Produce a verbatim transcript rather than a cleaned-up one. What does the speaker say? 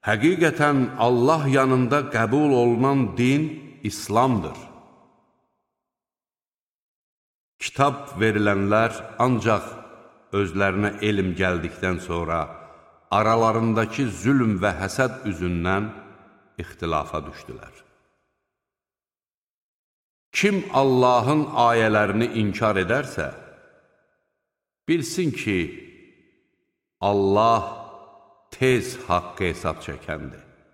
Həqiqətən Allah yanında qəbul olunan din İslamdır. Kitab verilənlər ancaq özlərinə elm gəldikdən sonra aralarındakı zülm və həsəd üzündən ixtilafa düşdülər. Kim Allahın ayələrini inkar edərsə, bilsin ki, Allah tez haqqı hesab çəkəndir.